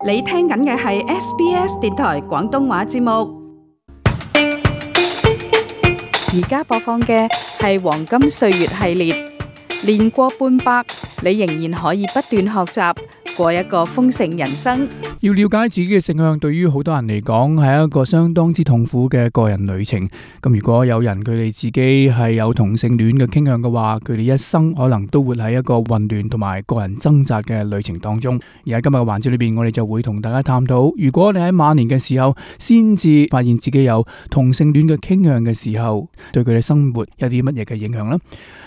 你聽緊嘅係 SBS 電台廣東話節目，而家播放嘅係黃金歲月系列，年過半百，你仍然可以不斷學習，過一個豐盛人生。要了解自己嘅性向，對於好多人嚟講係一個相當之痛苦嘅個人旅程。咁如果有人佢哋自己係有同性戀嘅傾向嘅話，佢哋一生可能都活喺一個混亂同埋個人掙扎嘅旅程當中。而喺今日嘅環節裏邊，我哋就會同大家探討，如果你喺晚年嘅時候先至發現自己有同性戀嘅傾向嘅時候，對佢哋生活有啲乜嘢嘅影響呢？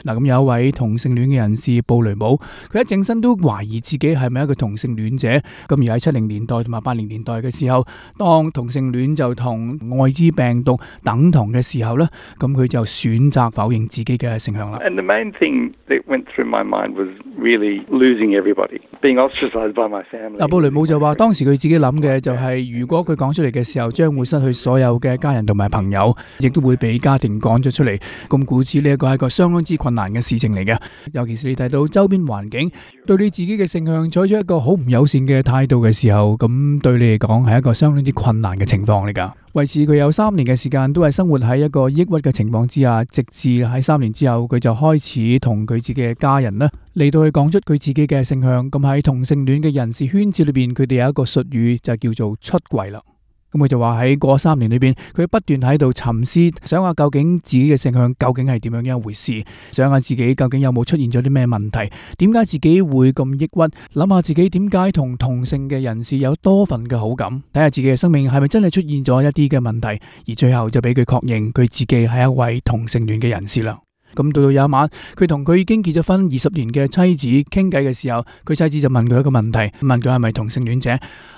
嗱，咁有一位同性戀嘅人士布雷姆，佢一整身都懷疑自己係咪一個同性戀者。咁而喺70年代同埋80年代嘅時候，當同性戀就同愛滋病毒等同嘅時候呢，咁佢就選擇否認自己嘅性向啦。And the main thing that went through my mind was really losing everybody, being ostracized by my family. 布雷姆就話當時佢自己諗嘅就係，如果佢講出嚟嘅時候，將會失去所有嘅家人同埋朋友，亦都會俾家庭趕咗出嚟。咁故此呢一個係一個相當之困難嘅事情嚟嘅，尤其是你睇到周邊環境對你自己嘅性向採取一個好唔友善嘅態度嘅時候，咁對你嚟講係一個相當之困難嘅情況嚟噶。為此佢有3年嘅時間都係生活喺一個抑鬱嘅情況之下，直至喺3年之後，佢就開始同佢自己嘅家人呢嚟到去講出佢自己嘅性向。咁喺同性戀嘅人士圈子裏邊，佢哋有一個術語就叫做出櫃啦。咁佢就話喺過3年裏邊，佢不斷喺度沉思，想下究竟自己嘅性向究竟係點樣一回事，想下自己究竟有冇出現咗啲咩問題，點解自己會咁抑鬱，諗下自己點解同同性嘅人士有多份嘅好感，睇下自己嘅生命係咪真係出現咗一啲嘅問題，而最後就俾佢確認佢自己係一位同性戀嘅人士啦。咁到有一晚，佢同佢已經結咗婚20年嘅妻子傾偈嘅時候，佢妻子就問佢一個問題，問佢係咪同性戀者。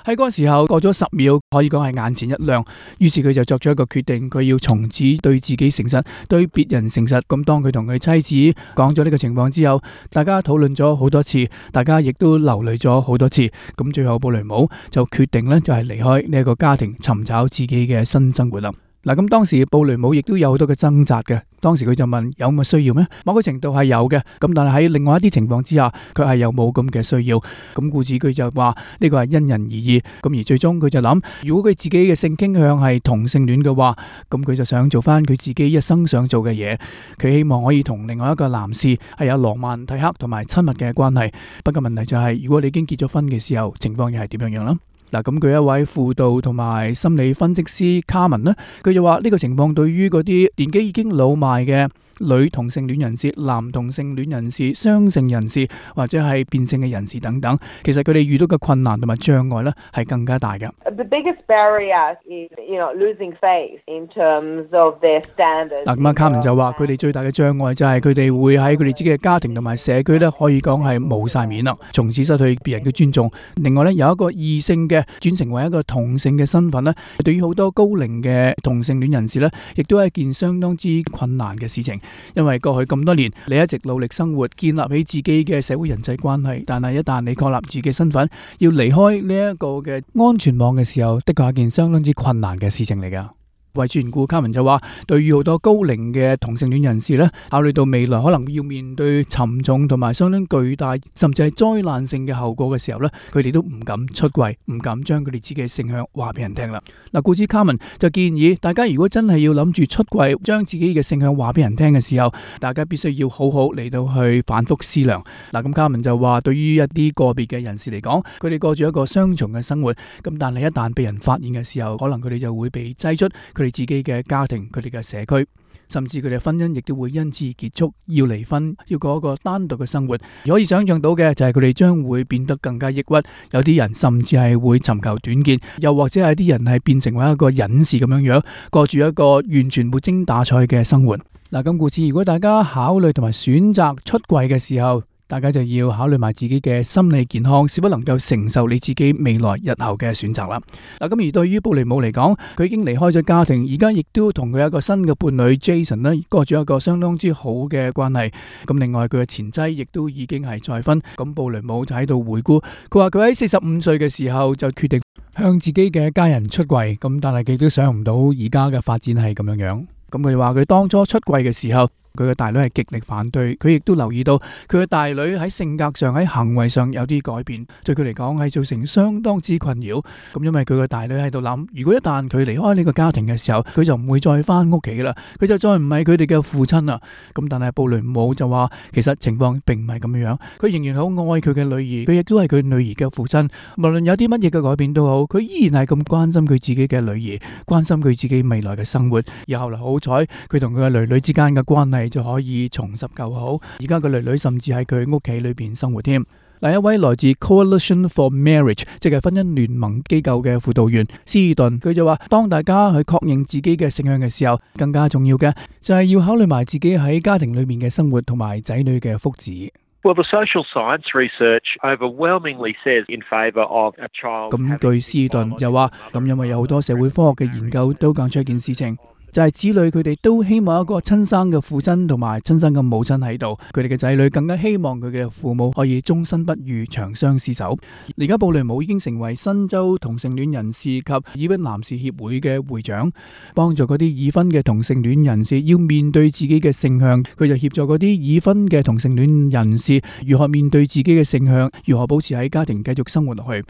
喺嗰個時候過咗10秒，可以講係眼前一亮，於是佢就作咗一個決定，佢要從此對自己誠實，對別人誠實。咁當佢同佢妻子講咗呢個情況之後，大家討論咗好多次，大家亦都流淚咗好多次。咁最後布雷姆就決定呢，就係離開呢一個家庭，尋找自己嘅新生活啦。嗱，咁當時布雷姆亦都有好多嘅掙扎嘅。當時佢就問，有咁嘅需要咩？某個程度係有嘅，咁但係喺另外一啲情況之下，佢係有冇咁嘅需要。咁故此佢就話呢個係因人而異。咁而最終佢就諗，如果佢自己嘅性傾向係同性戀嘅話，咁佢就想做翻佢自己一生想做嘅嘢。佢希望可以同另外一個男士係有羅曼蒂克同埋親密嘅關係。不過問題就係，如果你已經結咗婚嘅時候，情況又係點樣啦？嗱，咁佢一位輔導同埋心理分析師卡文呢，佢就話呢個情況對於嗰啲年紀已經老邁嘅女同性戀人士、男同性戀人士、雙性人士或者係變性嘅人士等等，其實佢哋遇到嘅困難同埋障礙呢係更加大嘅。The biggest barrier is, losing faith in terms of their standards. 嗱，咁啊，卡文就話佢哋最大嘅障礙就係佢哋會喺佢哋自己嘅家庭同埋社區呢，可以講係冇晒面啦，從此失去別人嘅尊重。另外呢，有一個異性嘅轉成為一個同性嘅身份呢，對於好多高齡嘅同性戀人士呢，亦都係一件相當之困難嘅事情。因為過去咁多年，你一直努力生活，建立起自己嘅社會人際關係，但係一旦你確立自己嘅身份，要離開呢一個嘅安全網嘅時候，的確係一件相當之困難嘅事情嚟㗎。為此緣故，卡文就話，對於好多高齡嘅同性戀人士呢，考慮到未來可能要面對沉重同埋相當巨大，甚至係災難性嘅後果嘅時候呢，佢哋都唔敢出櫃，唔敢將佢哋自己嘅性向話俾人聽啦。嗱，故此卡文就建議大家，如果真係要諗住出櫃，將自己嘅性向話俾人聽嘅時候，大家必須要好好嚟到去反覆思量。嗱，咁卡文就話，對於一啲個別嘅人士嚟講，佢哋過住一個雙重嘅生活，咁但係一旦被人發現嘅時候，可能佢哋就會被擠出佢哋自己嘅家庭，佢哋嘅社區，甚至佢哋嘅婚姻亦都會因此結束，要離婚，要過一個單獨嘅生活。可以想象到嘅就係佢哋將會變得更加抑鬱，有啲人甚至係會尋求短見，又或者係啲人係變成為一個隱士咁樣樣，過住一個完全沒精打采嘅生活。嗱，咁故此，如果大家考慮同埋選擇出櫃嘅時候，大家就要考慮埋自己嘅心理健康，是否能夠承受你自己未來日後嘅選擇啦。嗱，咁而對於布雷姆嚟講，佢已經離開咗家庭，而家亦都同佢一個新嘅伴侶 Jason 呢過住一個相當之好嘅關係。咁另外佢嘅前妻亦都已經係再婚。咁布雷姆就喺度回顧，佢話佢喺45歲嘅時候就決定向自己嘅家人出櫃。咁但係佢都想唔到而家嘅發展係咁樣樣。咁佢話佢當初出櫃嘅時候，佢嘅大女係極力反對，佢亦都留意到佢嘅大女喺性格上、喺行為上有啲改變，對佢嚟講係造成相當之困擾。咁因為佢嘅大女喺度諗，如果一旦佢離開呢個家庭嘅時候，佢就唔會再翻屋企啦，佢就再唔係佢哋嘅父親啦。咁但係布雷姆就話，其實情況並唔係咁樣，佢仍然好愛佢嘅女兒，佢亦都係佢女兒嘅父親。無論有啲乜嘢嘅改變都好，佢依然係咁關心佢自己嘅女兒，關心佢自己未來嘅生活。而後來好彩，佢同佢嘅女女之間嘅關係就可以重拾舊好。而家個女女甚至喺佢屋企裏邊生活添。另一位來自 Coalition for Marriage， 即係婚姻聯盟機構嘅輔導員斯爾頓，佢就話：當大家去確認自己嘅性向嘅時候，更加重要嘅就係要考慮埋自己喺家庭裏面嘅生活同埋仔女嘅福祉。Well, the social science research overwhelmingly says in favour of a child. 咁據斯爾頓就話，咁因為有好多社會科學嘅研究都講出一件事情。就係子女佢哋都希望一個親生嘅父親同埋親生嘅母親喺度，佢哋嘅仔女更加希望佢嘅父母可以終身不渝、長相廝守。而家布雷姆已經成為新州同性戀人士及已婚男士協會嘅會長，幫助嗰啲已婚嘅同性戀人士要面對自己嘅性向，佢就協助嗰啲已婚嘅同性戀人士如何面對自己嘅性向，如何保持喺家庭繼續生活落去。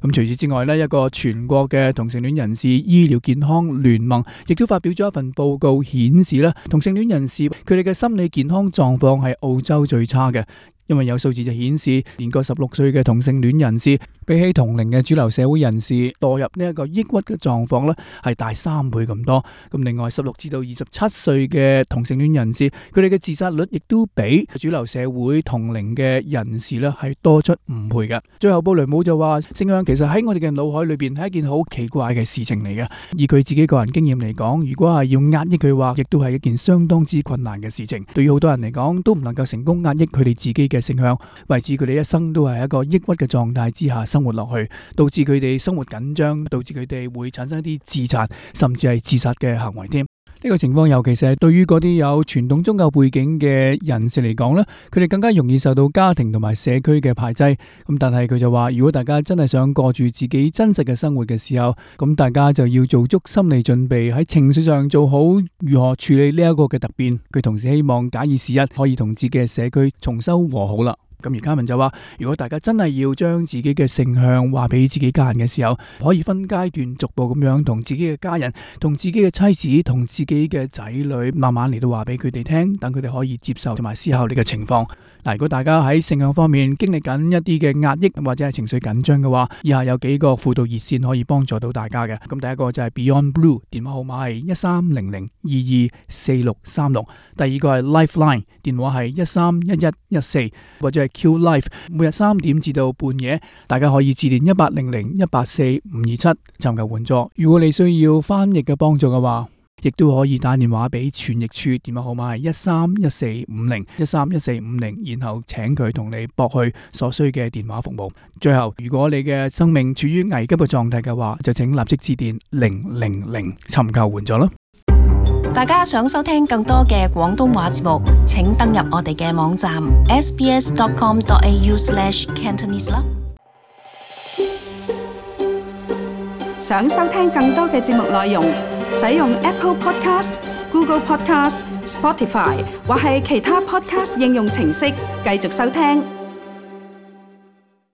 咁除此之外呢，一個全國嘅同性戀人士醫療健康聯盟亦都發表咗一份報告，顯示咧同性戀人士佢哋嘅心理健康狀況係澳洲最差嘅。因為有數字就顯示，年過16歲嘅同性戀人士，比起同齡嘅主流社會人士，墮入呢一個抑鬱嘅狀況咧，係大3倍咁多。咁另外16至到27歲嘅同性戀人士，佢哋嘅自殺率亦都比主流社會同齡嘅人士咧係多出5倍嘅。最後布雷姆就話，性向其實喺我哋嘅腦海裏邊係一件好奇怪嘅事情嚟嘅。以佢自己個人經驗嚟講，如果係要壓抑佢話，亦都係一件相當之困難嘅事情。對於好多人嚟講，都唔能夠成功壓抑佢哋自己嘅性向，為至佢哋一生都係一個抑鬱嘅狀態之下生活落去，導致佢哋生活緊張，導致佢哋會產生一啲自殘甚至係自殺嘅行為添。呢個情況尤其是係對於嗰啲有傳統宗教背景嘅人士嚟講呢，佢哋更加容易受到家庭同埋社區嘅排擠。咁但係佢就話，如果大家真係想過住自己真實嘅生活嘅時候，咁大家就要做足心理準備，喺情緒上做好如何處理呢一個嘅突變。佢同時希望假以時日可以同自己嘅社區重修和好啦。咁而卡文就話，如果大家真係要將自己嘅性向話俾自己家人嘅時候，可以分階段逐步咁樣同自己嘅家人、同自己嘅妻子、同自己嘅仔女慢慢嚟到話俾佢哋聽，等佢哋可以接受同埋思考呢個情況。嗱，如果大家喺性向方面經歷緊一啲嘅壓抑或者係情緒緊張嘅話，以下有幾個輔導熱線可以幫助到大家嘅。咁第一個就係 Beyond Blue， 電話號碼係1300224636。第二個係 Lifeline， 電話係131114，或者係 Q Life， 每日3點至到半夜，大家可以致電1800184527尋求援助。如果你需要翻譯嘅幫助嘅話，亦都可以打電話俾傳譯處，電話號碼係131450，然後請佢同你駁去所需嘅電話服務。最後，如果你嘅生命處於危急嘅狀態嘅話，就請立即致電000尋求援助啦。大家想收聽更多嘅廣東話節目，請登入我哋嘅網站 sbs.com.au/cantonese 啦。想收聽更多嘅節目內容，使用 Apple Podcast、Google Podcast、Spotify 或係其他 Podcast 應用程式繼續收聽。